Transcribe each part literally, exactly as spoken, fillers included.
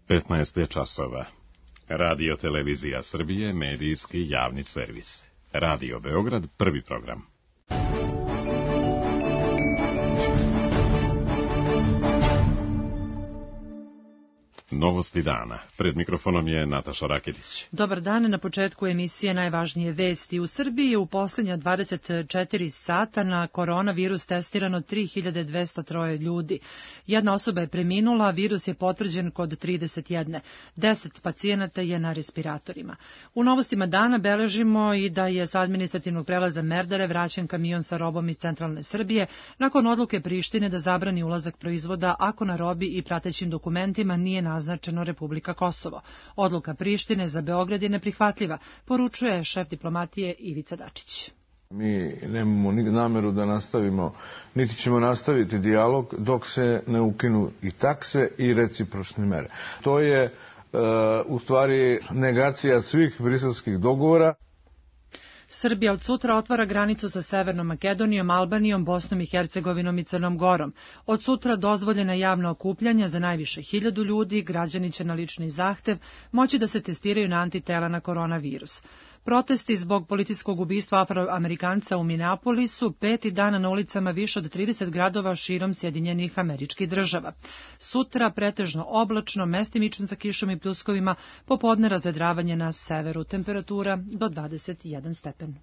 petnaest je časova. Radio Televizija Srbije, medijski javni servis. Radio Beograd, prvi program. Novosti dana. Pred mikrofonom je Nataša Raketić. Dobar dan. Na početku emisije najvažnije vesti. U Srbiji je u posljednja dvadeset četiri sata na koronavirus testirano tri hiljade dvesta tri ljudi. Jedna osoba je preminula, virus je potvrđen kod trideset jedan. deset pacijenata je na respiratorima. U novostima dana beležimo i da je sa administrativnog prelaza Merdare vraćen kamion sa robom iz centralne Srbije nakon odluke Prištine da zabrani ulazak proizvoda ako na robi i pratećim dokumentima nije naznačeno Republika Kosovo. Odluka Prištine za Beograd je neprihvatljiva, poručuje šef diplomatije Ivica Dačić. Mi nemamo ni nameru da nastavimo, niti ćemo nastaviti dijalog dok se ne ukinu i takse i recipročne mere. To je e, u stvari negacija svih briselskih dogovora. Srbija od sutra otvara granicu sa Severnom Makedonijom, Albanijom, Bosnom i Hercegovinom i Crnom Gorom. Od sutra dozvoljena javna okupljanja za najviše hiljadu ljudi, građani će na lični zahtev moći da se testiraju na antitela na koronavirus. Protesti zbog policijskog ubistva Afroamerikanca u Minneapolisu peti dan na ulicama više od trideset gradova širom Sjedinjenih Američkih Država. Sutra pretežno oblačno, mestimično sa kišom i pljuskovima, popodne razvedravanje na severu, temperatura do dvadeset jedan stepen.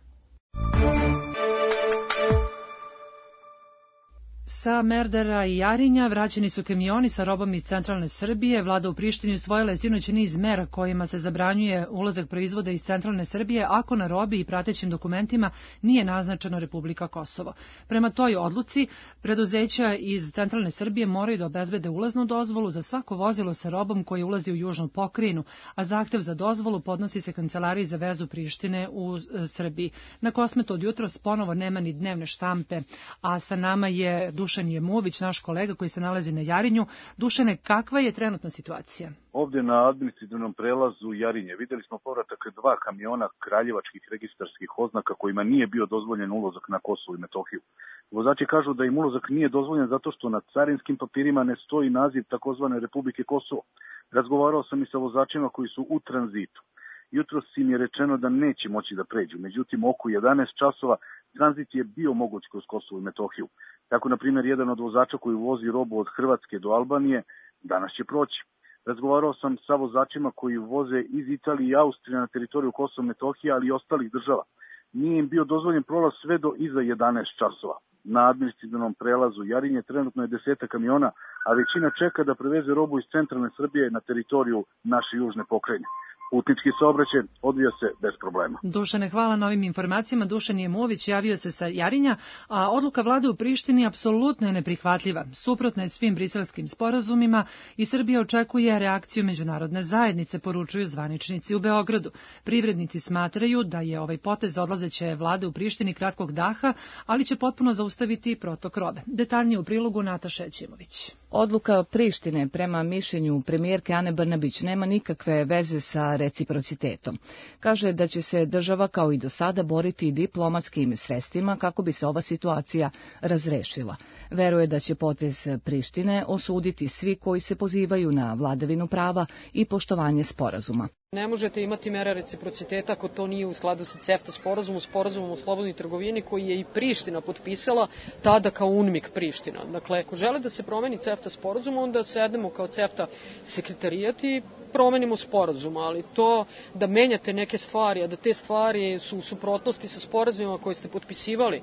Sa Merdara i Jarinja vraćeni su kamioni sa robom iz centralne Srbije. Vlada u Prištini usvojila je sinoć niz mera kojima se zabranjuje ulazak proizvoda iz centralne Srbije ako na robi i pratećim dokumentima nije naznačeno Republika Kosovo. Prema toj odluci, preduzeća iz centralne Srbije moraju da obezbede ulaznu dozvolu za svako vozilo sa robom koje ulazi u južnu pokrajinu, a zahtev za dozvolu podnosi se Kancelariji za vezu Prištine u Srbiji. Na Kosmetu od jutros ponovo nema ni dnevne štampe, a sa nama je Dušan Jemović, naš kolega koji se nalazi na Jarinju. Dušane, kakva je trenutna situacija? Ovdje na administrativnom prelazu Jarinje vidjeli smo povratak dva kamiona kraljevačkih registarskih oznaka kojima nije bio dozvoljen ulazak na Kosovo i Metohiju. Vozači kažu da im ulazak nije dozvoljen zato što na carinskim papirima ne stoji naziv takozvane Republike Kosovo. Razgovarao sam i sa vozačima koji su u tranzitu. Jutros im je rečeno da neće moći da pređu, međutim oko jedanaest časova tranzit je bio moguć kroz Kosovo i Metohiju. Tako, na primjer, jedan od vozača koji vozi robu od Hrvatske do Albanije danas će proći. Razgovarao sam sa vozačima koji voze iz Italije i Austrije na teritoriju Kosova i Metohije, ali i ostalih država. Nije im bio dozvoljen prolaz sve do iza jedanaest časova. Na administrativnom prelazu Jarinje trenutno je deseta kamiona, a većina čeka da preveze robu iz centralne Srbije na teritoriju naše južne pokrajine. Putnički saobraćaj odvija se bez problema. Dušane, hvala na ovim informacijama. Dušan Jemović javio se sa Jarinja, a odluka vlade u Prištini apsolutno je neprihvatljiva. Suprotna je svim briselskim sporazumima i Srbija očekuje reakciju međunarodne zajednice, poručuju zvaničnici u Beogradu. Privrednici smatraju da je ovaj potez odlazeće vlade u Prištini kratkog daha, ali će potpuno zaustaviti protok robe. Detaljnije u prilogu Nataša Jemović. Odluka Prištine prema mišljenju premijerke Ane Brnabić nema nikakve veze sa reciprocitetom. Kaže da će se država kao i do sada boriti diplomatskim sredstvima kako bi se ova situacija razrešila. Veruje da će potez Prištine osuditi svi koji se pozivaju na vladavinu prava i poštovanje sporazuma. Ne možete imati mere reciprociteta ako to nije u skladu sa CEFTA sporazumom, sporazumom o slobodnoj trgovini koji je i Priština potpisala tada kao UNMIK Priština. Dakle, ako žele da se promeni CEFTA sporazum, onda sedemo kao CEFTA sekretarijat i promenimo sporazum, ali to da menjate neke stvari, a da te stvari su u suprotnosti sa sporazumima koje ste potpisivali,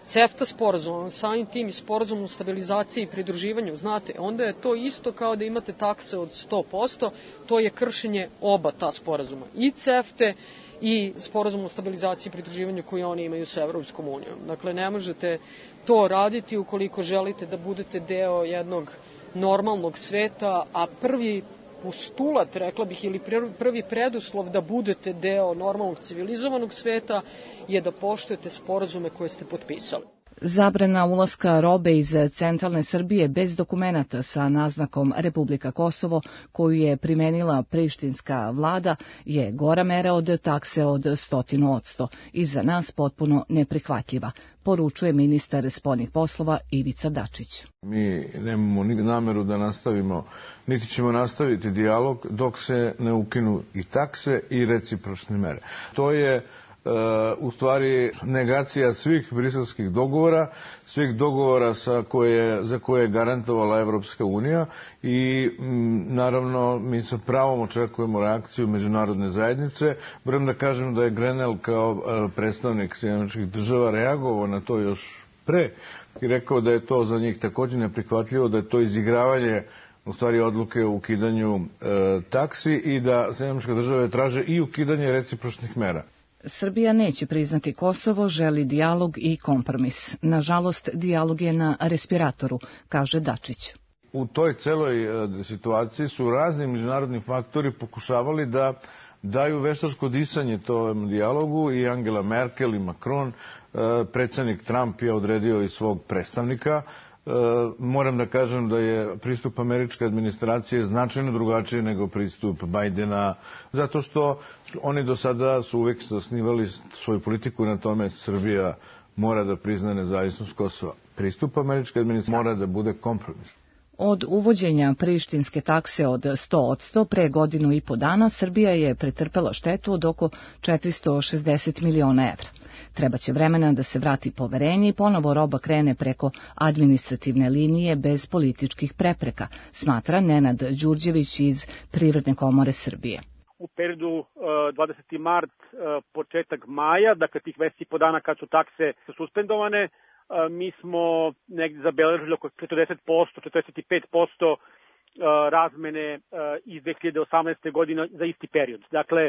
CEFTA sporazum, samim tim i sporazum o stabilizaciji i pridruživanju, znate, onda je to isto kao da imate takse od sto posto, to je kršenje oba ta sporazuma, i CEFTA i sporazum o stabilizaciji i pridruživanju koji oni imaju sa Evropskom unijom. Dakle, ne možete to raditi ukoliko želite da budete deo jednog normalnog sveta, a prvi postulat, rekla bih, ili prvi preduslov da budete deo normalnog civilizovanog sveta je da poštujete sporazume koje ste potpisali. Zabrana ulaska robe iz centralne Srbije bez dokumenata sa naznakom Republika Kosovo, koju je primenila prištinska vlada, je gora mera od takse od stotinu odsto i za nas potpuno neprihvatljiva, poručuje ministar spoljnih poslova Ivica Dačić. Mi nemamo ni nameru da nastavimo, niti ćemo nastaviti dijalog dok se ne ukinu i takse i recipročne mere. To je u stvari negacija svih briselskih dogovora, svih dogovora sa koje, za koje je garantovala Evropska unija i m, naravno mi sa pravom očekujemo reakciju međunarodne zajednice. Moram da kažem da je Grenell kao predstavnik Sjedinjenih Američkih Država reagovao na to još pre i rekao da je to za njih također neprihvatljivo, da je to izigravanje u stvari odluke o ukidanju e, taksi i da Sjedinjene Američke Države traže i ukidanje recipročnih mera. Srbija neće priznati Kosovo, želi dijalog i kompromis. Nažalost, dijalog je na respiratoru, kaže Dačić. U toj celoj situaciji su razni međunarodni faktori pokušavali da daju veštačko disanje tom dijalogu i Angela Merkel i Macron. Predsjednik Trump je odredio i svog predstavnika. Moram da kažem da je pristup američke administracije značajno drugačiji nego pristup Bajdena, zato što oni do sada su uvek zasnivali svoju politiku na tome Srbija mora da prizna nezavisnost Kosova. Pristup američke administracije mora da bude kompromis. Od uvođenja prištinske takse od sto odsto pre godinu i po dana Srbija je pretrpela štetu od oko četiristo šezdeset miliona evra. Trebaće vremena da se vrati poverenje i ponovo roba krene preko administrativne linije bez političkih prepreka, smatra Nenad Đurđević iz Privredne komore Srbije. U periodu dvadeseti mart, početak maja, dakle tih mesec i po dana kad su takse suspendovane, mi smo negdje zabeležili oko četrdeset posto, četrdeset pet posto razmene iz dve hiljade osamnaeste. godine za isti period. Dakle,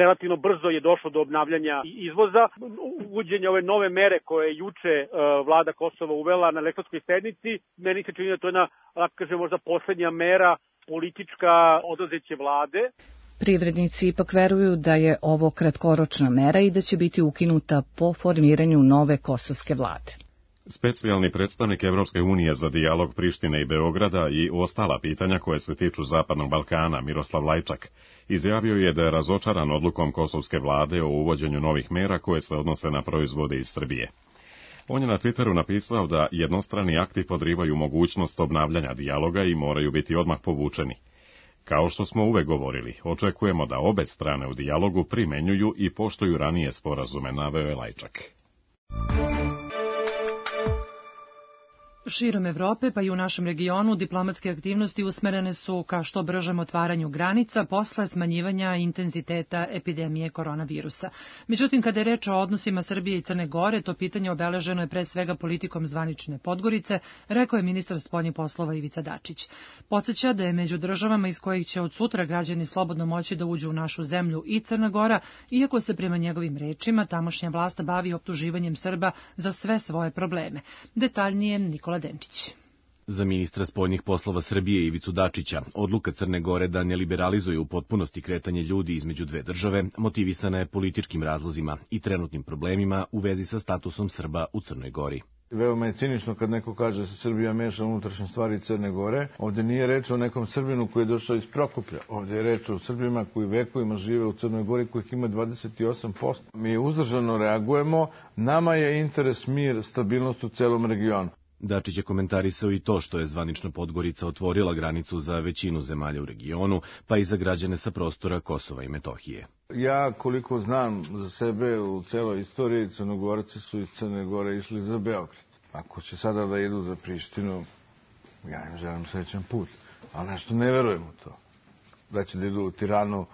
relativno brzo je došlo do obnavljanja izvoza. Uvođenje ove nove mere koje je juče vlada Kosova uvela na elektronskoj sednici, meni se čini da to je jedna, da kažem, možda poslednja mera politička odlazeće vlade. Privrednici ipak veruju da je ovo kratkoročna mera i da će biti ukinuta po formiranju nove kosovske vlade. Specijalni predstavnik Evropske unije za dijalog Prištine i Beograda i ostala pitanja koje se tiču Zapadnog Balkana, Miroslav Lajčak, izjavio je da je razočaran odlukom kosovske vlade o uvođenju novih mera koje se odnose na proizvode iz Srbije. On je na Twitteru napisao da jednostrani akti podrivaju mogućnost obnavljanja dijaloga i moraju biti odmah povučeni. Kao što smo uvek govorili, očekujemo da obe strane u dijalogu primenjuju i poštuju ranije sporazume, naveo je Lajčak. Širom Evrope, pa i u našem regionu, diplomatske aktivnosti usmerene su ka što bržem otvaranju granica posle smanjivanja intenziteta epidemije koronavirusa. Međutim, kada je reč o odnosima Srbije i Crne Gore, to pitanje obeleženo je pre svega politikom zvanične Podgorice, rekao je ministar spoljnih poslova Ivica Dačić. Podseća da je među državama iz kojih će od sutra građani slobodno moći da uđu u našu zemlju i Crna Gora, iako se prema njegovim rečima tamošnja vlast bavi optuživanjem Srba za sve svoje probleme. Detaljnije Nikola Denčić. Za ministra spoljnih poslova Srbije Ivicu Dačića, odluka Crne Gore da ne liberalizuje u potpunosti kretanje ljudi između dve države motivisana je političkim razlozima i trenutnim problemima u vezi sa statusom Srba u Crnoj Gori. Veoma je cinično kad neko kaže da se Srbija meša unutrašnje stvari Crne Gore. Ovdje nije reč o nekom Srbinu koji je došao iz Prokuplja. Ovdje je reč o Srbima koji vekovima žive u Crnoj Gori, kojih ima dvadeset osam posto. Mi uzdržano reagujemo. Nama je interes mir, stabilnost u celom regionu. Dačić je komentarisao i to što je zvanično Podgorica otvorila granicu za većinu zemalja u regionu, pa i za građane sa prostora Kosova i Metohije. Ja, koliko znam za sebe, u celoj istoriji Crnogorci su iz Crne Gore išli za Beograd. Ako će sada da idu za Prištinu, ja im želim srećan put. Ali nešto ne verujem u to. Da će da idu u Tiranu,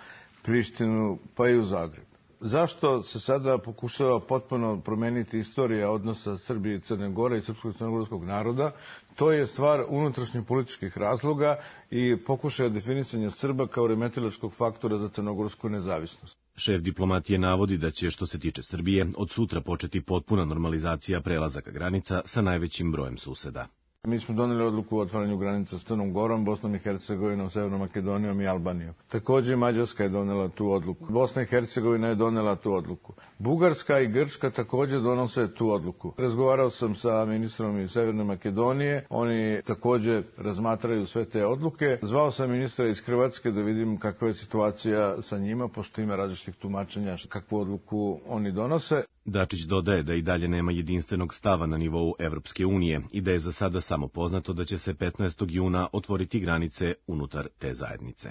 Prištinu, pa i u Zagreb. Zašto se sada pokušava potpuno promeniti istorija odnosa Srbije i Crne Gore i srpskog i crnogorskog naroda? To je stvar unutrašnjih političkih razloga i pokušaja definisanja Srba kao remetilačkog faktora za crnogorsku nezavisnost. Šef diplomatije navodi da će, što se tiče Srbije, od sutra početi potpuna normalizacija prelazaka granica sa najvećim brojem suseda. Mi smo doneli odluku o otvaranju granica s Crnom Gorom, Bosnom i Hercegovinom, Severnom Makedonijom i Albanijom. Također Mađarska je donela tu odluku. Bosna i Hercegovina je donela tu odluku. Bugarska i Grčka također donose tu odluku. Razgovarao sam sa ministrom iz Severne Makedonije, oni također razmatraju sve te odluke. Zvao sam ministra iz Hrvatske da vidim kakva je situacija sa njima, pošto ima različitih tumačenja kakvu odluku oni donose. Dačić dodaje da i dalje nema jedinstvenog stava na nivou Evropske unije i da je za sada samo poznato da će se petnaestog juna otvoriti granice unutar te zajednice.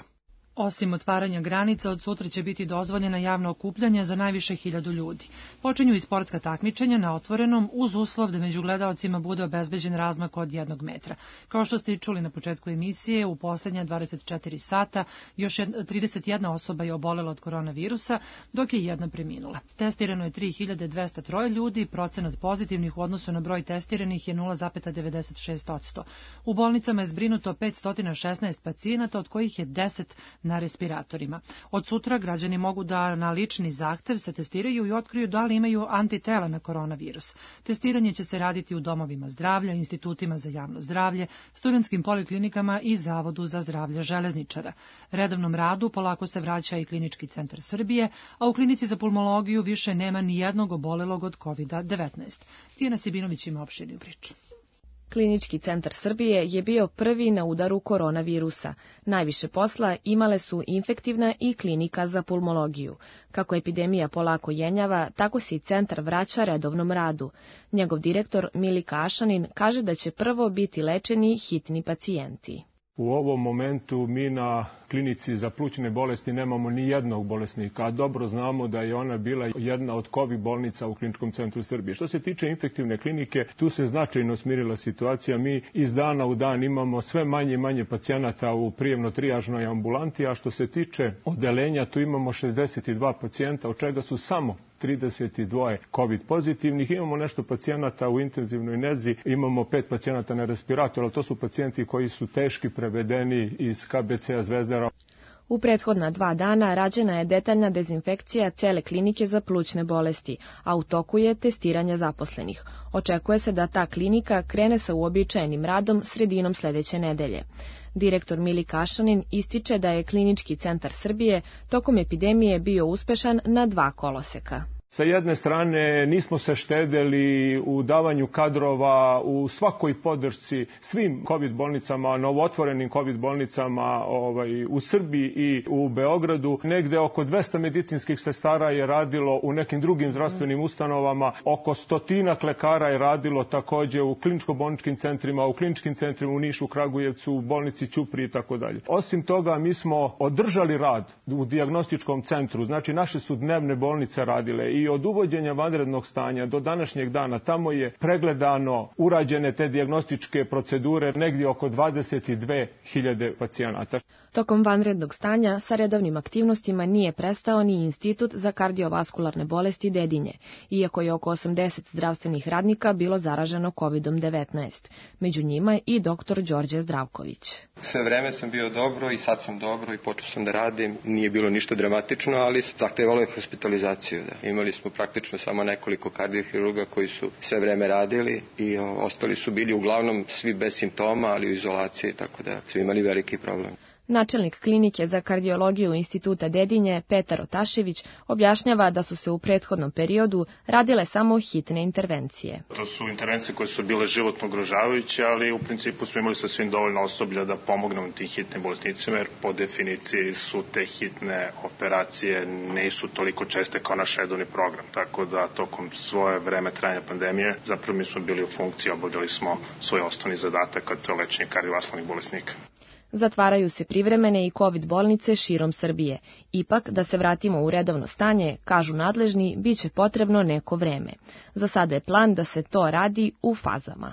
Osim otvaranja granica, od sutra će biti dozvoljena javna okupljanja za najviše hiljadu ljudi. Počinju i sportska takmičenja na otvorenom uz uslov da među gledaocima bude obezbeđen razmak od jednog metra. Kao što ste i čuli na početku emisije, u poslednja dvadeset četiri sata još trideset jedna osoba je obolela od koronavirusa, dok je jedna preminula. Testirano je tri hiljade dvesta tri ljudi, procenat pozitivnih u odnosu na broj testiranih je nula zarez devedeset šest posto. U bolnicama je zbrinuto petsto šesnaest pacijenata, od kojih je deset na respiratorima. Od sutra građani mogu da na lični zahtev se testiraju i otkriju da li imaju antitela na koronavirus. Testiranje će se raditi u domovima zdravlja, institutima za javno zdravlje, studentskim poliklinikama i Zavodu za zdravlje železničara. Redovnom radu polako se vraća i Klinički centar Srbije, a u klinici za pulmologiju više nema ni jednog obolelog od kovid devetnaest. Tijana Sibinović ima opširniju priču. Klinički centar Srbije je bio prvi na udaru koronavirusa. Najviše posla imale su infektivna i klinika za pulmologiju. Kako epidemija polako jenjava, tako se i centar vraća redovnom radu. Njegov direktor Milika Ašanin kaže da će prvo biti lečeni hitni pacijenti. U ovom momentu mi na klinici za plućne bolesti nemamo ni jednog bolesnika, a dobro znamo da je ona bila jedna od COVID bolnica u Kliničkom centru Srbije. Što se tiče infektivne klinike, tu se značajno smirila situacija. Mi iz dana u dan imamo sve manje i manje pacijenata u prijemno-trijažnoj ambulanti, a što se tiče odelenja, tu imamo šezdeset dva pacijenta, od čega su samo trideset dva COVID pozitivnih. Imamo nešto pacijenata u intenzivnoj nezi, imamo pet pacijenata na respiratoru, ali to su pacijenti koji su teški prevedeni iz K B C-a Zvezdara. U prethodna dva dana rađena je detaljna dezinfekcija cele klinike za plućne bolesti, a u toku je testiranje zaposlenih. Očekuje se da ta klinika krene sa uobičajenim radom sredinom sledeće nedelje. Direktor Milika Ašanin ističe da je Klinički centar Srbije tokom epidemije bio uspešan na dva koloseka. Sa jedne strane nismo se štedeli u davanju kadrova, u svakoj podršci svim COVID bolnicama, novootvorenim COVID bolnicama ovaj, u Srbiji i u Beogradu. Negde oko dvesta medicinskih sestara je radilo u nekim drugim zdravstvenim ustanovama, oko stotinak lekara je radilo takođe u kliničko-bolničkim centrima, u kliničkim centrima u Nišu, Kragujevcu, u bolnici Ćupriji i tako dalje. Osim toga, mi smo održali rad u dijagnostičkom centru, znači naše su dnevne bolnice radile i I od uvođenja vanrednog stanja do današnjeg dana tamo je pregledano, urađene te dijagnostičke procedure negdje oko dvadeset dve hiljade pacijenata. Tokom vanrednog stanja sa redovnim aktivnostima nije prestao ni Institut za kardiovaskularne bolesti Dedinje, iako je oko osamdeset zdravstvenih radnika bilo zaraženo kovid devetnaest. Među njima i doktor Đorđe Zdravković. Sve vreme sam bio dobro i sad sam dobro i počeo sam da radim. Nije bilo ništa dramatično, ali zahtevalo je hospitalizaciju. Da. Imali smo praktično samo nekoliko kardiohirurga koji su sve vreme radili i o, ostali su bili uglavnom svi bez simptoma, ali u izolaciji, tako da su imali veliki problem. Načelnik klinike za kardiologiju Instituta Dedinje, Petar Otašević, objašnjava da su se u prethodnom periodu radile samo hitne intervencije. To su intervencije koje su bile životno ugrožavajuće, ali u principu smo imali sasvim dovoljno osoblja da pomognemo tim hitnim bolesnicima, jer po definiciji su te hitne operacije nisu toliko česte kao naš redovni program. Tako da tokom svoje vreme trajanja pandemije zapravo mi smo bili u funkciji, obavljali smo svoj osnovni zadatak, a to je lečenje kardiovaskularnih bolesnika. Zatvaraju se privremene i COVID bolnice širom Srbije. Ipak, da se vratimo u redovno stanje, kažu nadležni, bit će potrebno neko vreme. Za sada je plan da se to radi u fazama.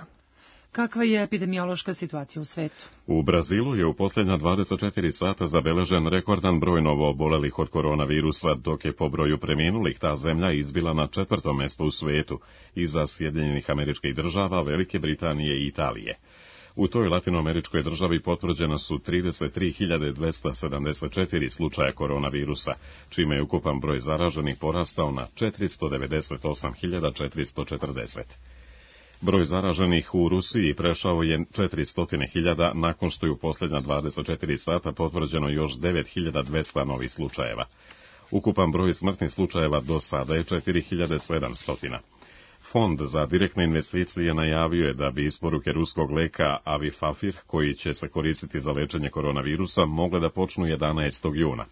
Kakva je epidemiološka situacija u svetu? U Brazilu je u posljednja dvadeset četiri sata zabeležen rekordan broj novoobolelih od koronavirusa, dok je po broju preminulih ta zemlja izbila na četvrtom mjestu u svetu, iza Sjedinjenih Američkih Država, Velike Britanije i Italije. U toj latinoameričkoj državi potvrđena su trideset tri hiljade dvesta sedamdeset četiri slučaja koronavirusa, čime je ukupan broj zaraženih porastao na četiristo devedeset osam hiljada četiristo četrdeset. Broj zaraženih u Rusiji prešao je četiristo hiljada nakon što je u posljednja dvadeset četiri sata potvrđeno još devet hiljada dvesta novih slučajeva. Ukupan broj smrtnih slučajeva do sada je četiri hiljade sedamsto. Fond za direktne investicije najavio je da bi isporuke ruskog leka Avifafir, koji će se koristiti za lečenje koronavirusa, mogle da počnu jedanaestog juna.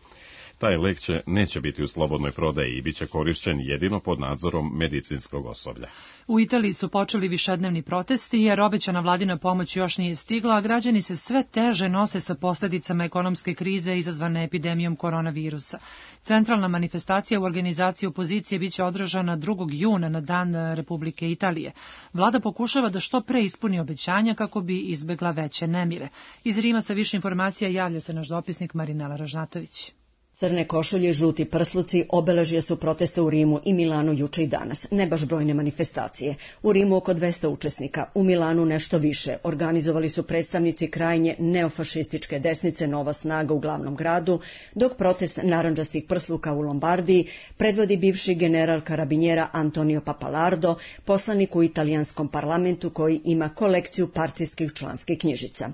Taj lek će neće biti u slobodnoj prodaji i bit će korišćen jedino pod nadzorom medicinskog osoblja. U Italiji su počeli višednevni protesti jer obećana vladina pomoć još nije stigla, a građani se sve teže nose sa posljedicama ekonomske krize izazvane epidemijom koronavirusa. Centralna manifestacija u organizaciji opozicije biće održana drugog juna na Dan Republike Italije. Vlada pokušava da što pre ispuni obećanja kako bi izbegla veće nemire. Iz Rima sa više informacija javlja se naš dopisnik Marinela Ražnatović. Crne košulje, žuti prsluci obeležje su protesta u Rimu i Milanu juče i danas, ne baš brojne manifestacije. U Rimu oko dvesta učesnika, u Milanu nešto više. Organizovali su predstavnici krajnje neofašističke desnice Nova snaga u glavnom gradu, dok protest narandžastih prsluka u Lombardiji predvodi bivši general karabinjera Antonio Papalardo, poslanik u italijanskom parlamentu koji ima kolekciju partijskih članskih knjižica.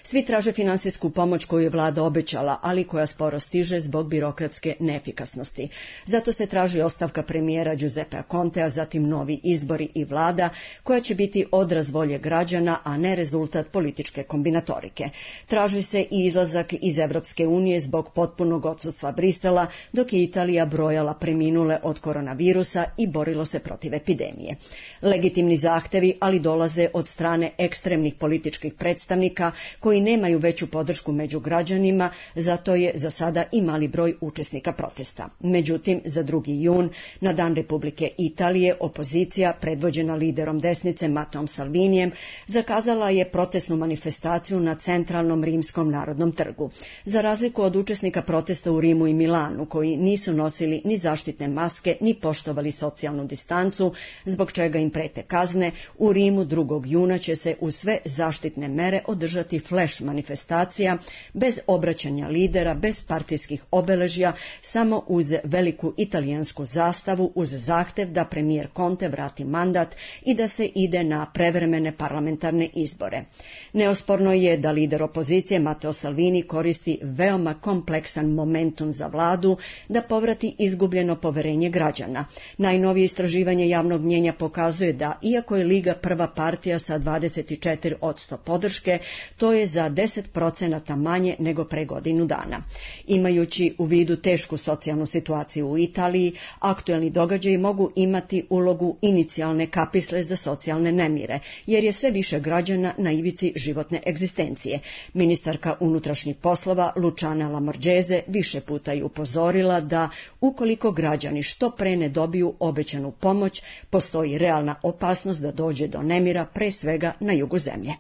Svi traže finansijsku pomoć koju je vlada obećala, ali koja sporo stiže zbog birokratske neefikasnosti. Zato se traži ostavka premijera Giuseppea Contea, zatim novi izbori i vlada koja će biti odraz volje građana, a ne rezultat političke kombinatorike. Traži se i izlazak iz Evropske unije zbog potpunog odsustva Brisela, dok je Italija brojala preminule od koronavirusa i borilo se protiv epidemije. Legitimni zahtevi, ali dolaze od strane ekstremnih političkih predstavnika koji nemaju veću podršku među građanima, zato je za sada i mali broj učesnika protesta. Međutim, za drugi jun, na Dan Republike Italije, opozicija, predvođena liderom desnice Matteom Salvinijem, zakazala je protestnu manifestaciju na centralnom rimskom narodnom trgu. Za razliku od učesnika protesta u Rimu i Milanu, koji nisu nosili ni zaštitne maske, ni poštovali socijalnu distancu, zbog čega im prete kazne, u Rimu drugog juna će se uz sve zaštitne mere održati flash manifestacija, bez obraćanja lidera, bez partijskih obeležja, samo uz veliku italijansku zastavu, uz zahtev da premijer Conte vrati mandat i da se ide na prevremene parlamentarne izbore. Neosporno je da lider opozicije Matteo Salvini koristi veoma kompleksan momentum za vladu da povrati izgubljeno poverenje građana. Najnovije istraživanje javnog mnjenja pokazuje da, iako je Liga prva partija sa dvadeset četiri posto podrške, to je za deset procenata manje nego pre godinu dana. Imajući u vidu tešku socijalnu situaciju u Italiji, aktuelni događaji mogu imati ulogu inicijalne kapisle za socijalne nemire, jer je sve više građana na ivici životne egzistencije. Ministarka unutrašnjih poslova Luciana Lamorgese više puta je upozorila da ukoliko građani što pre ne dobiju obećanu pomoć, postoji realna opasnost da dođe do nemira, pre svega na jugu zemlje.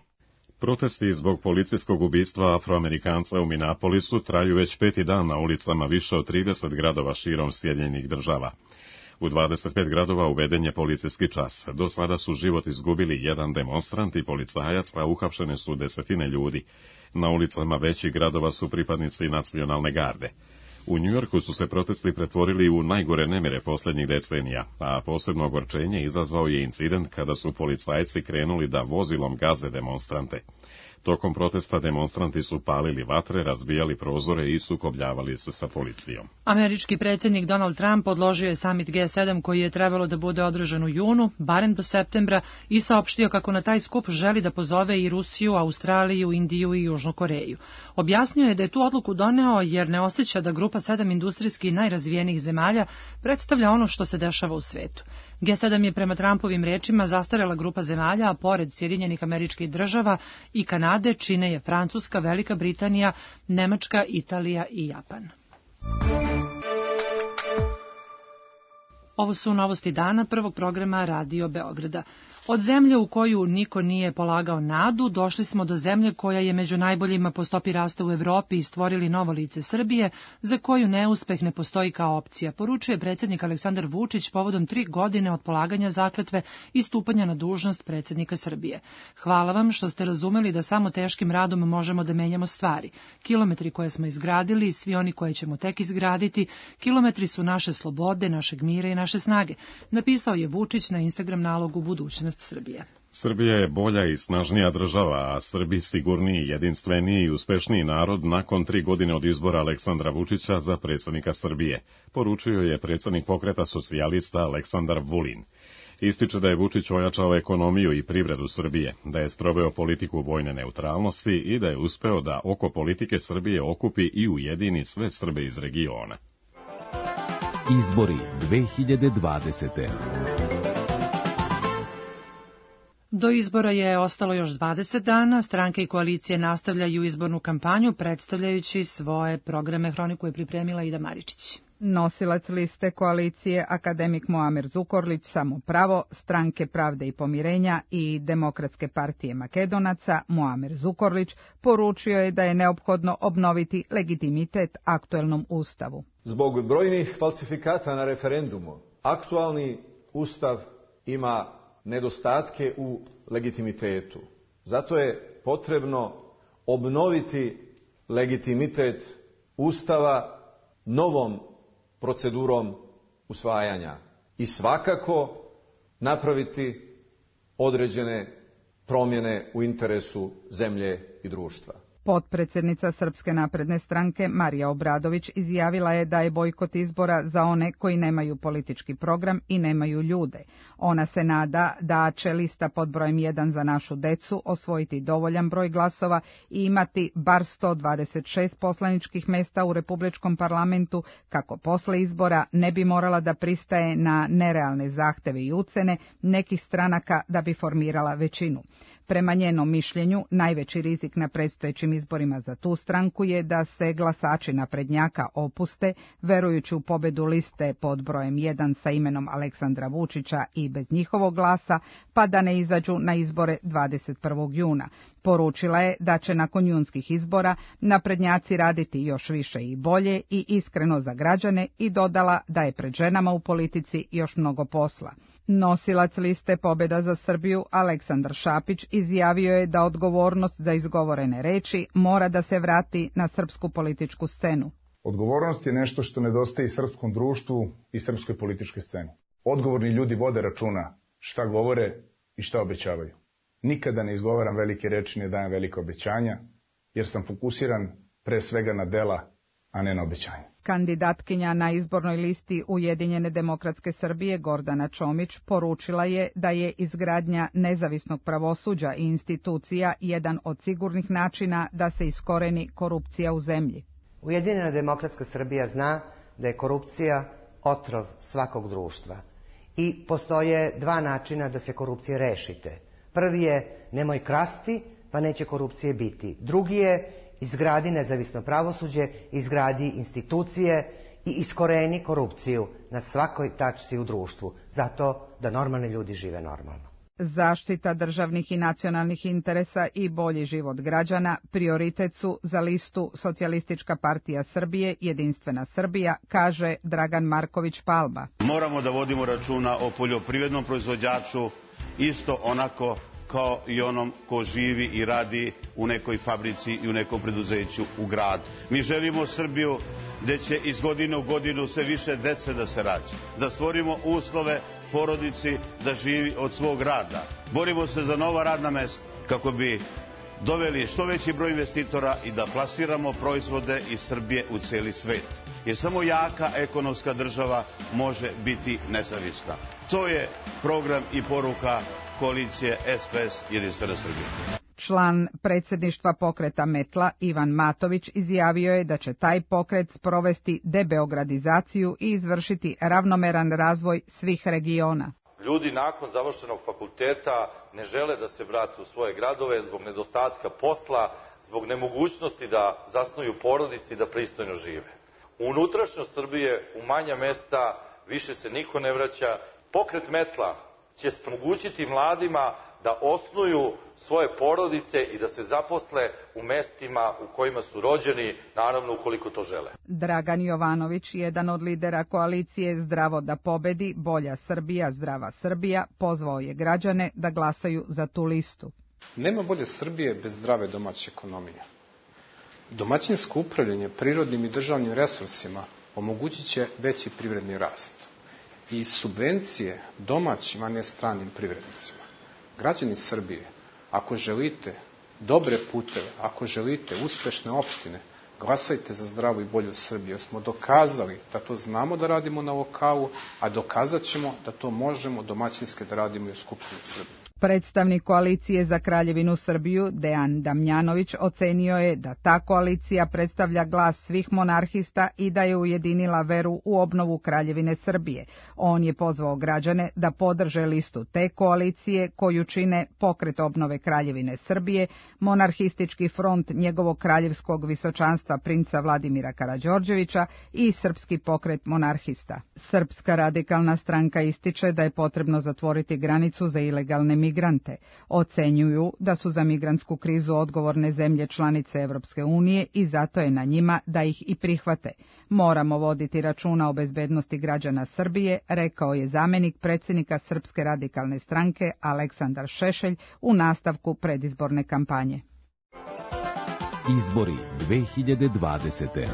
Protesti zbog policijskog ubistva Afroamerikanca u Minneapolisu traju već peti dan na ulicama više od trideset gradova širom Sjedinjenih država. U dvadeset pet gradova uveden je policijski čas. Do sada su život izgubili jedan demonstrant i policajac, a uhapšene su desetine ljudi. Na ulicama većih gradova su pripadnici nacionalne garde. U Njujorku su se protesti pretvorili u najgore nemire posljednjih decenija, a posebno ogorčenje izazvao je incident kada su policajci krenuli da vozilom gaze demonstrante. Tokom protesta demonstranti su palili vatre, razbijali prozore i sukobljavali se sa policijom. Američki predsjednik Donald Trump odložio je samit G sedam koji je trebalo da bude održan u junu, barem do septembra, i saopštio kako na taj skup želi da pozove i Rusiju, Australiju, Indiju i Južnu Koreju. Objasnio je da je tu odluku doneo jer ne osjeća da grupa sedam industrijski najrazvijenijih zemalja predstavlja ono što se dešava u svetu. G sedam je prema Trumpovim rečima zastarela grupa zemalja, a pored Sjedinjenih Američkih Država i Kanade čine je Francuska, Velika Britanija, Nemačka, Italija i Japan. Ovo su novosti dana prvog programa Radio Beograda. Od zemlje u koju niko nije polagao nadu, došli smo do zemlje koja je među najboljima po stopi rasta u Evropi i stvorili novo lice Srbije, za koju neuspeh ne postoji kao opcija, poručuje predsjednik Aleksandar Vučić povodom tri godine od polaganja zakletve i stupanja na dužnost predsjednika Srbije. Hvala vam što ste razumeli da samo teškim radom možemo da menjamo stvari. Kilometri koje smo izgradili i svi oni koje ćemo tek izgraditi, kilometri su naše slobode, našeg mira i naše snage, napisao je Vučić na Instagram nalogu Budućnost budućnost Srbije. Srbija je bolja i snažnija država, a Srbi sigurniji, jedinstveniji i uspešniji narod nakon tri godine od izbora Aleksandra Vučića za predsjednika Srbije, poručio je predsjednik pokreta socijalista Aleksandar Vulin. Ističe da je Vučić ojačao ekonomiju i privredu Srbije, da je sproveo politiku vojne neutralnosti i da je uspeo da oko politike Srbije okupi i ujedini sve Srbe iz regiona. Izbori dve hiljade dvadesete. Do izbora je ostalo još dvadeset dana, stranke i koalicije nastavljaju izbornu kampanju predstavljajući svoje programe. Hroniku je pripremila Ida Maričić. Nosilac liste koalicije akademik Muamer Zukorlić Samo pravo, Stranke pravde i pomirenja i Demokratske partije Makedonaca Muamer Zukorlić poručio je da je neophodno obnoviti legitimitet aktuelnom ustavu. Zbog brojnih falsifikata na referendumu, aktualni ustav ima nedostatke u legitimitetu. Zato je potrebno obnoviti legitimitet ustava novom procedurom usvajanja i svakako napraviti određene promjene u interesu zemlje i društva. Potpredsjednica Srpske napredne stranke Marija Obradović izjavila je da je bojkot izbora za one koji nemaju politički program i nemaju ljude. Ona se nada da će lista pod brojem jedan za našu decu osvojiti dovoljan broj glasova i imati bar sto dvadeset šest poslaničkih mesta u Republičkom parlamentu, kako posle izbora ne bi morala da pristaje na nerealne zahteve i ucene nekih stranaka da bi formirala većinu. Prema njenom mišljenju, najveći rizik na predstojećim izborima za tu stranku je da se glasači naprednjaka opuste, verujući u pobedu liste pod brojem jedan sa imenom Aleksandra Vučića i bez njihovog glasa, pa da ne izađu na izbore dvadeset prvog juna. Poručila je da će nakon junskih izbora naprednjaci raditi još više i bolje i iskreno za građane i dodala da je pred ženama u politici još mnogo posla. Nosilac liste Pobjeda za Srbiju Aleksandar Šapić izjavio je da odgovornost za izgovorene reči mora da se vrati na srpsku političku scenu. Odgovornost je nešto što nedostaje i srpskom društvu i srpskoj političkoj sceni. Odgovorni ljudi vode računa šta govore i šta obećavaju. Nikada ne izgovaram velike reči, ne dajem velike obećanja, jer sam fokusiran pre svega na dela, a ne na obećanja. Kandidatkinja na izbornoj listi Ujedinjene demokratske Srbije Gordana Čomić poručila je da je izgradnja nezavisnog pravosuđa i institucija jedan od sigurnih načina da se iskoreni korupcija u zemlji. Ujedinjena demokratska Srbija zna da je korupcija otrov svakog društva i postoje dva načina da se korupcije rešite. Prvi je nemoj krasti, pa neće korupcije biti. Drugi je izgradi nezavisno pravosuđe, izgradi institucije i iskoreni korupciju na svakoj tačci u društvu, zato da normalni ljudi žive normalno. Zaštita državnih i nacionalnih interesa i bolji život građana prioritet su za listu Socijalistička partija Srbije, Jedinstvena Srbija, kaže Dragan Marković Palma. Moramo da vodimo računa o poljoprivrednom proizvođaču isto onako kao i onom ko živi i radi u nekoj fabrici i u nekom preduzeću u gradu. Mi želimo Srbiju gde će iz godine u godinu sve više dece da se rađa, da stvorimo uslove porodici da živi od svog rada. Borimo se za nova radna mesta kako bi doveli što veći broj investitora i da plasiramo proizvode iz Srbije u celi svet. Jer samo jaka ekonomska država može biti nezavisna. To je program i poruka koalicije S P S Jedinstvena Srbija. Član predsjedništva pokreta Metla Ivan Matović izjavio je da će taj pokret sprovesti debeogradizaciju i izvršiti ravnomeran razvoj svih regiona. Ljudi nakon završenog fakulteta ne žele da se vrate u svoje gradove zbog nedostatka posla, zbog nemogućnosti da zasnuju porodice i da pristojno žive. U unutrašnjost Srbije, u manja mesta, više se niko ne vraća. Pokret Metla će omogućiti mladima da osnuju svoje porodice i da se zaposle u mestima u kojima su rođeni, naravno ukoliko to žele. Dragan Jovanović, jedan od lidera koalicije Zdravo da pobedi, Bolja Srbija, Zdrava Srbija, pozvao je građane da glasaju za tu listu. Nema bolje Srbije bez zdrave domaće ekonomije. Domaćinsko upravljanje prirodnim i državnim resursima omogućit će veći privredni rast i subvencije domaćim, a ne stranim privrednicima. Građani Srbije, ako želite dobre puteve, ako želite uspešne opštine, glasajte za zdravu i bolju Srbiju, jer smo dokazali da to znamo da radimo na lokalu, a dokazat ćemo da to možemo domaćinski da radimo i u Skupštini Srbije. Predstavnik koalicije za Kraljevinu Srbiju, Dejan Damjanović, ocenio je da ta koalicija predstavlja glas svih monarhista i da je ujedinila veru u obnovu Kraljevine Srbije. On je pozvao građane da podrže listu te koalicije koju čine Pokret obnove Kraljevine Srbije, Monarhistički front njegovog kraljevskog visočanstva princa Vladimira Karađorđevića i Srpski pokret monarhista. Srpska radikalna stranka ističe da je potrebno zatvoriti granicu za ilegalne migrante. Ocenjuju da su za migrantsku krizu odgovorne zemlje članice Evropske unije i zato je na njima da ih i prihvate. Moramo voditi računa o bezbednosti građana Srbije, rekao je zamenik predsjednika Srpske radikalne stranke Aleksandar Šešelj u nastavku predizborne kampanje. Izbori dve hiljade dvadesete.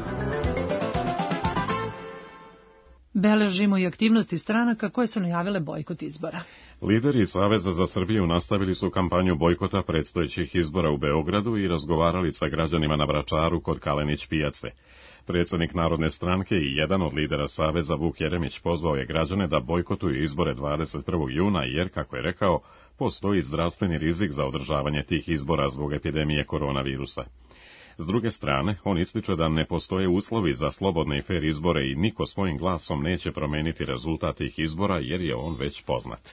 Beležimo i aktivnosti stranaka koje su najavile bojkot izbora. Lideri Saveza za Srbiju nastavili su kampanju bojkota predstojećih izbora u Beogradu i razgovarali sa građanima na Vračaru kod Kalenić pijace. Predsjednik Narodne stranke i jedan od lidera Saveza Vuk Jeremić pozvao je građane da bojkotuju izbore dvadeset prvog juna jer, kako je rekao, postoji zdravstveni rizik za održavanje tih izbora zbog epidemije koronavirusa. S druge strane, on ističe da ne postoje uslovi za slobodne i fer izbore i niko svojim glasom neće promeniti rezultat tih izbora jer je on već poznat.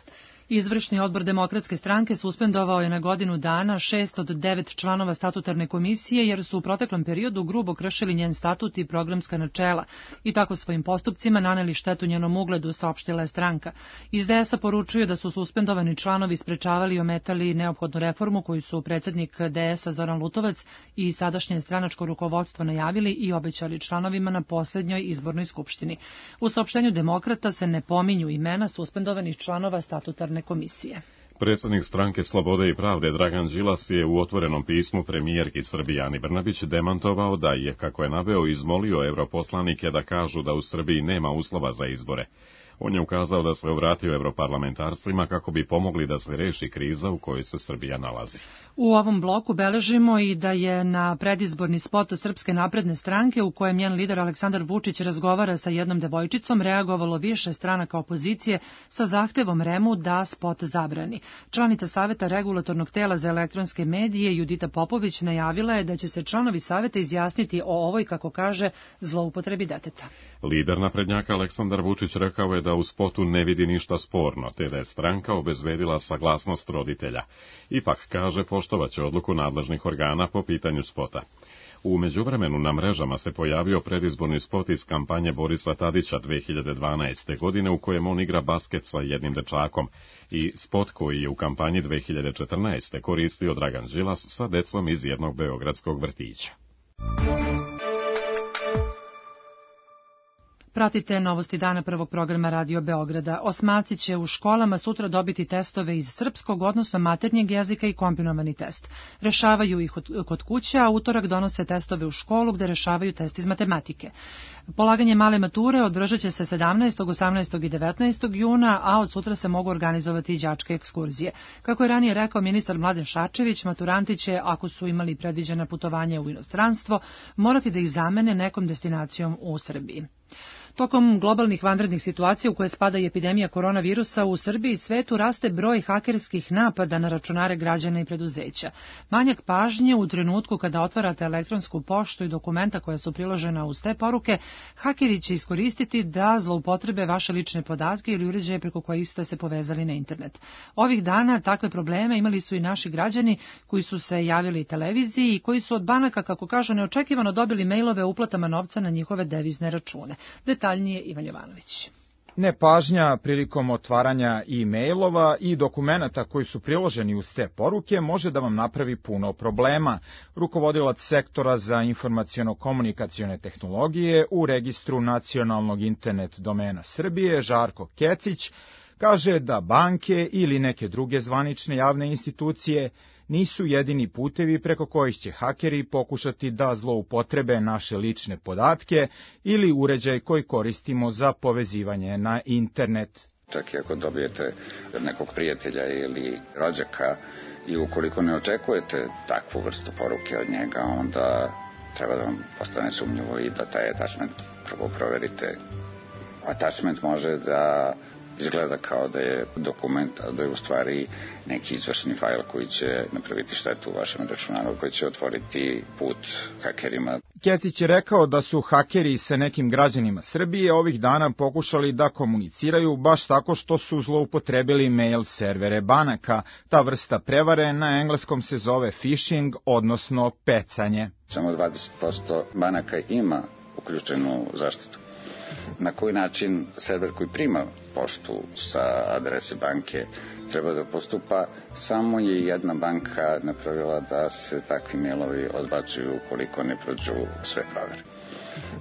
Izvršni odbor Demokratske stranke suspendovao je na godinu dana šest od devet članova statutarne komisije jer su u proteklom periodu grubo kršili njen statut i programska načela i tako svojim postupcima naneli štetu njenom ugledu, saopštila je stranka. Iz D S A poručuju da su suspendovani članovi sprečavali i ometali neophodnu reformu koju su predsjednik D S A Zoran Lutovac i sadašnje stranačko rukovodstvo najavili i obećali članovima na posljednjoj izbornoj skupštini. U saopštenju Demokrata se ne pominju imena suspendovanih članova statutarne komisije. Predsjednik stranke Slobode i pravde Dragan Đilas je u otvorenom pismu premijerki Srbije Ani Brnabić demantovao da je, kako je naveo, izmolio europoslanike da kažu da u Srbiji nema uslova za izbore. On je ukazao da se obratio europarlamentarcima kako bi pomogli da se reši kriza u kojoj se Srbija nalazi. U ovom bloku beležimo i da je na predizborni spot Srpske napredne stranke u kojem njen lider Aleksandar Vučić razgovara sa jednom devojčicom reagovalo više stranaka opozicije sa zahtevom REM-u da spot zabrani. Članica Saveta regulatornog tela za elektronske medije Judita Popović najavila je da će se članovi Saveta izjasniti o ovoj, kako kaže, zloupotrebi deteta. Lider naprednjaka Aleksandar Vučić rekao je da u spotu ne vidi ništa sporno, te da je stranka obezbedila saglasnost roditelja. Ipak, kaže, poštovaće odluku nadležnih organa po pitanju spota. U međuvremenu na mrežama se pojavio predizborni spot iz kampanje Borisa Tadića dve hiljade dvanaeste. godine u kojem on igra basket sa jednim dečakom i spot koji je u kampanji dve hiljade četrnaeste. koristio Dragan Đilas sa decom iz jednog beogradskog vrtića. Pratite novosti dana prvog programa Radio Beograda. Osmaci će u školama sutra dobiti testove iz srpskog, odnosno maternjeg jezika i kombinovani test. Rešavaju ih kod kuće, a utorak donose testove u školu gde rešavaju test iz matematike. Polaganje male mature održat će se sedamnaestog, osamnaestog i devetnaestog juna, a od sutra se mogu organizovati i đačke ekskurzije. Kako je ranije rekao ministar Mladen Šarčević, maturanti će, ako su imali predviđena putovanja u inostranstvo, morati da ih zamene nekom destinacijom u Srbiji. Tokom globalnih vanrednih situacija u koje spada i epidemija koronavirusa u Srbiji i svetu raste broj hakerskih napada na računare građana i preduzeća. Manjak pažnje u trenutku kada otvarate elektronsku poštu i dokumenta koja su priložena uz te poruke, hakeri će iskoristiti da zloupotrebe vaše lične podatke ili uređaje preko kojih ste se povezali na internet. Ovih dana takve probleme imali su i naši građani koji su se javili televiziji i koji su od banaka, kako kažu, neočekivano dobili mejlove o uplatama novca na njihove devizne račune. Detaljnije Ivan Jovanović. Nepažnja prilikom otvaranja e-mailova i dokumenata koji su priloženi uz te poruke može da vam napravi puno problema. Rukovodilac sektora za informaciono-komunikacione tehnologije u registru nacionalnog internet domena Srbije, Žarko Kecić, kaže da banke ili neke druge zvanične javne institucije nisu jedini putevi preko kojih će hakeri pokušati da zloupotrebe naše lične podatke ili uređaj koji koristimo za povezivanje na internet. Čak i ako dobijete nekog prijatelja ili rođaka i ukoliko ne očekujete takvu vrstu poruke od njega, onda treba da vam postane sumnjivo i da taj attachment prvo proverite. Attachment može da izgleda kao da je dokument, a da je u stvari neki izvršni fajl koji će napraviti štetu u vašem računaru, koji će otvoriti put hakerima. Ketić je rekao da su hakeri sa nekim građanima Srbije ovih dana pokušali da komuniciraju baš tako što su zloupotrebili mail servere banaka. Ta vrsta prevare na engleskom se zove phishing, odnosno pecanje. Samo dvadeset posto banaka ima uključenu zaštitu. Na koji način server koji prima poštu sa adrese banke treba da postupa, samo je jedna banka napravila da se takvi mailovi odbacuju ukoliko ne prođu sve provere.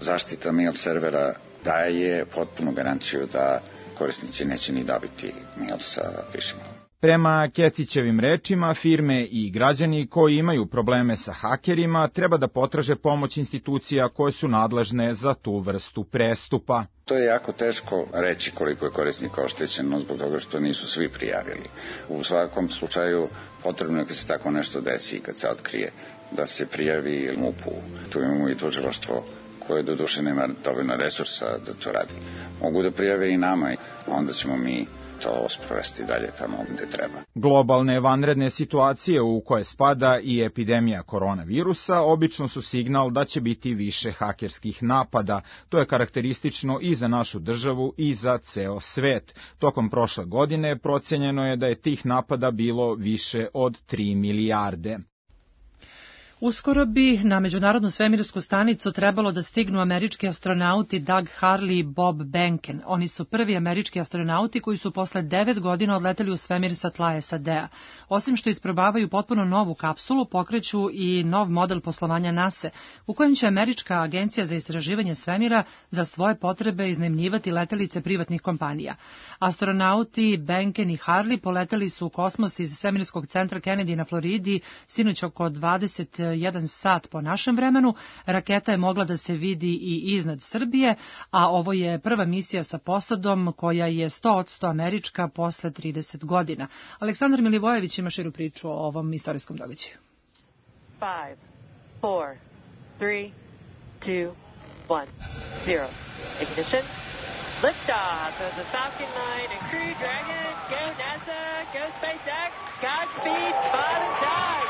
Zaštita mail servera daje potpunu garanciju da korisnici neće ni dobiti mail sa phishingom. Prema Ketićevim rečima, firme i građani koji imaju probleme sa hakerima treba da potraže pomoć institucija koje su nadležne za tu vrstu prestupa. To je jako teško reći koliko je korisnika oštećeno zbog toga što nisu svi prijavili. U svakom slučaju potrebno je kad se tako nešto desi i kad se otkrije da se prijavi M U P-u. Tu imamo i tužilaštvo koje do duše nema dovoljno resursa da to radi. Mogu da prijave i nama, onda ćemo mi to sprovesti dalje tamo gde treba. Globalne vanredne situacije u koje spada i epidemija koronavirusa obično su signal da će biti više hakerskih napada. To je karakteristično i za našu državu i za ceo svet. Tokom prošle godine procenjeno je da je tih napada bilo više od tri milijarde. Uskoro bi na Međunarodnu svemirsku stanicu trebalo da stignu američki astronauti Doug Hurley i Bob Behnken. Oni su prvi američki astronauti koji su posle devet godina odleteli u svemir sa tla S A D-a. Osim što isprobavaju potpuno novu kapsulu, pokreću i nov model poslovanja NASA, u kojem će Američka agencija za istraživanje svemira za svoje potrebe iznajmljivati letelice privatnih kompanija. Astronauti Behnken i Hurley poleteli su u kosmos iz svemirskog centra Kennedy na Floridi sinoć oko dvadeset jedan sat po našem vremenu. Raketa je mogla da se vidi i iznad Srbije, a ovo je prva misija sa posadom koja je sto posto američka posle trideset godina. Aleksandar Milivojević ima širu priču o ovom istorijskom događaju. five, four, three, two, one, zero. Ignition. Liftoff of the Falcon nine and Crew Dragon. Go NASA, go SpaceX, Godspeed, Bob and Doug.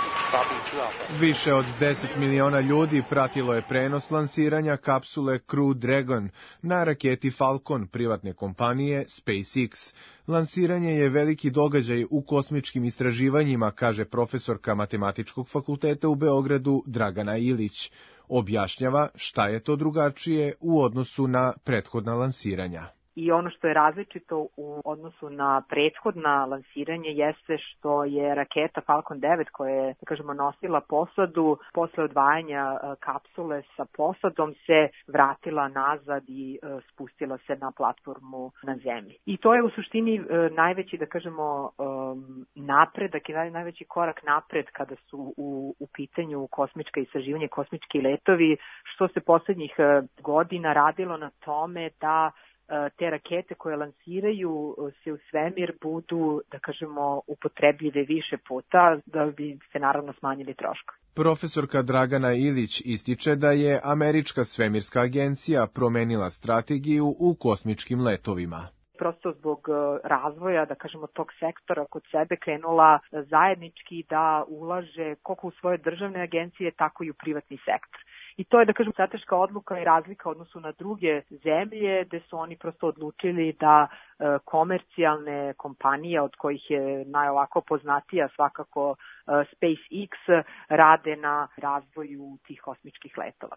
Više od deset miliona ljudi pratilo je prenos lansiranja kapsule Crew Dragon na raketi Falcon privatne kompanije SpaceX. Lansiranje je veliki događaj u kosmičkim istraživanjima, kaže profesorka Matematičkog fakulteta u Beogradu Dragana Ilić. Objašnjava šta je to drugačije u odnosu na prethodna lansiranja. I ono što je različito u odnosu na prethodna lansiranje jeste što je raketa Falcon devet koja je, da kažemo, nosila posadu, posle odvajanja kapsule sa posadom se vratila nazad i spustila se na platformu na zemlji. I to je u suštini najveći, da kažemo, napredak i najveći korak napred kada su u, u pitanju kosmička istraživanja, kosmički letovi, što se poslednjih godina radilo na tome da te rakete koje lansiraju se u svemir budu, da kažemo, upotrebljive više puta, da bi se naravno smanjili troškovi. Profesorka Dragana Ilić ističe da je Američka svemirska agencija promenila strategiju u kosmičkim letovima. Prosto zbog razvoja, da kažemo, tog sektora kod sebe krenula zajednički da ulaže koliko u svoje državne agencije, tako i u privatni sektor. I to je, da kažem, strateška odluka i razlika u odnosu na druge zemlje, gde su oni prosto odlučili da e, komercijalne kompanije, od kojih je najovako poznatija svakako e, SpaceX, rade na razvoju tih kosmičkih letova.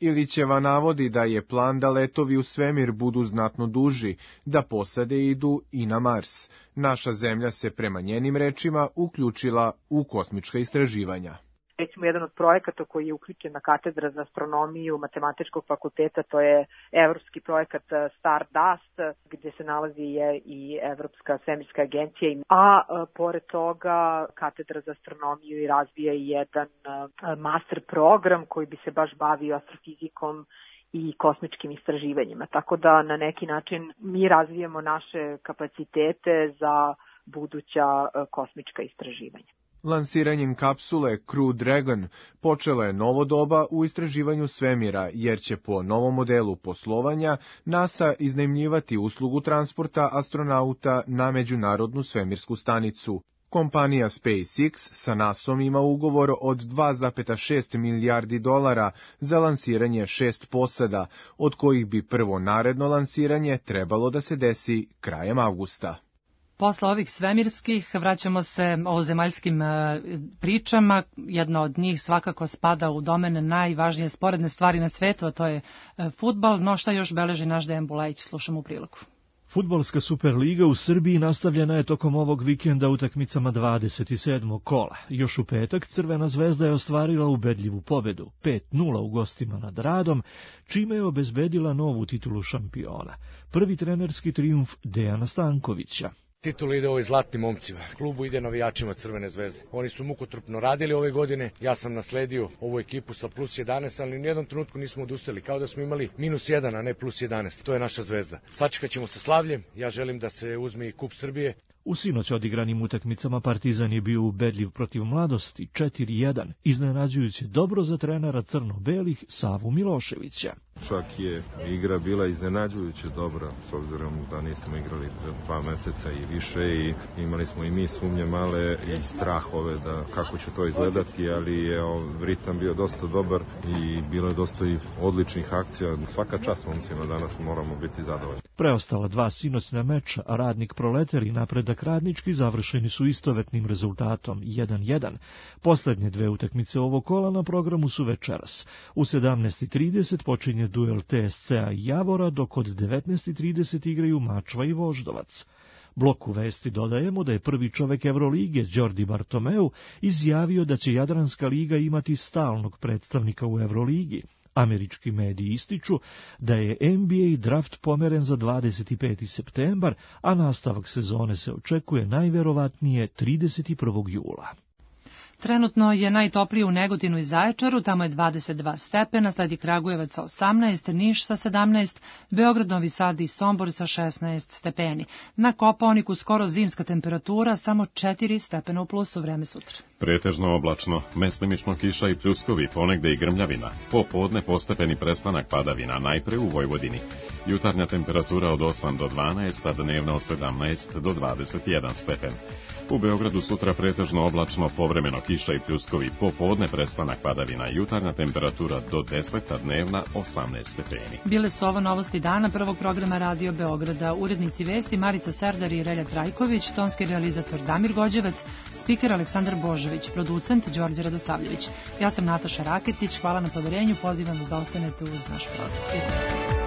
Ilićeva navodi da je plan da letovi u svemir budu znatno duži, da posade idu i na Mars. Naša zemlja se prema njenim rečima uključila u kosmička istraživanja. Recimo, jedan od projekata koji je uključen na katedra za astronomiju Matematičkog fakulteta, to je evropski projekat Stardust, gde se nalazi je i Evropska svemirska agencija, a, a pored toga katedra za astronomiju i razvija i jedan a, master program koji bi se baš bavio astrofizikom i kosmičkim istraživanjima. Tako da na neki način mi razvijamo naše kapacitete za buduća kosmička istraživanja. Lansiranjem kapsule Crew Dragon počelo je novo doba u istraživanju svemira, jer će po novom modelu poslovanja NASA iznajmljivati uslugu transporta astronauta na Međunarodnu svemirsku stanicu. Kompanija SpaceX sa nasom ima ugovor od dva zarez šest milijardi dolara za lansiranje šest posada, od kojih bi prvo naredno lansiranje trebalo da se desi krajem avgusta. Posle ovih svemirskih vraćamo se ovozemaljskim pričama. Jedna od njih svakako spada u domen najvažnije sporedne stvari na svetu, a to je fudbal. No šta još beleži naš Dejan Bulajić, slušamo u prilogu. Fudbalska Superliga u Srbiji nastavljena je tokom ovog vikenda utakmicama dvadeset sedmog kola. Još u petak Crvena zvezda je ostvarila ubedljivu pobedu, pet nula u gostima nad Radom, čime je obezbedila novu titulu šampiona. Prvi trenerski trijumf Dejana Stankovića. Titula ide ovoj zlatnim momcima, klubu ide navijačima Crvene zvezde. Oni su mukotrpno radili ove godine, ja sam nasledio ovu ekipu sa plus jedanaest, ali u nijednom trenutku nismo odustali, kao da smo imali minus jedan, a ne plus jedanaest. To je naša zvezda. Sačekat ćemo sa slavljem, ja želim da se uzme i kup Srbije. U sinoć odigranim utakmicama Partizan je bio ubedljiv protiv Mladosti četiri jedan, iznenađujući dobro za trenera crno-belih Savu Miloševića. Čak je igra bila iznenađujuće dobra, s obzirom da nismo igrali dva meseca i više i imali smo i mi sumnje male i strahove da kako će to izgledati, ali je ritam bio dosta dobar i bilo je dosta i odličnih akcija. Svaka čast momcima, danas moramo biti zadovoljni. Preostala dva sinoćna meča, Radnik Proletar i Napredak Radnički, završeni su istovetnim rezultatom jedan jedan. Poslednje dve utakmice ovog kola na programu su večeras. U sedamnaest i trideset počinje duel T S C-a i Javora, dok od devetnaest i trideset igraju Mačva i Voždovac. Bloku vesti dodajemo da je prvi čovek Evrolige, Đordi Bartomeu, izjavio da će Jadranska liga imati stalnog predstavnika u Evroligi. Američki mediji ističu da je N B A draft pomeren za dvadeset peti septembar, a nastavak sezone se očekuje najverovatnije trideset prvog jula. Trenutno je najtoplije u Negotinu i Zaječaru, tamo je dvadeset dva stepena, sledi Kragujevac sa osamnaest, Niš sa sedamnaest, Beograd, Novi Sad i Sombor sa šesnaest stepeni. Na Kopaoniku skoro zimska temperatura, samo četiri stepena u plusu, vreme sutra. Pretežno oblačno, meslimično kiša i pljuskovi, ponegde i grmljavina. Popodne postepeni prestanak padavina, najpre u Vojvodini. Jutarnja temperatura od osam do dvanaest, a dnevna od sedamnaest do dvadeset jedan stepen. U Beogradu sutra pretežno oblačno, povremeno kiša i pljuskovi, popodne prestanak padavina, jutarnja temperatura do deset, a dnevna osamnaest stepeni. Bile su ovo novosti dana prvog programa Radio Beograda. Urednici vesti Marica Serdar i Relja Trajković, tonski realizator Damir Gođevac, spiker Aleksandar Božović, producent Đorđe Radosavljević. Ja sam Nataša Raketić, hvala na poverenju, pozivam vas da ostanete uz naš program.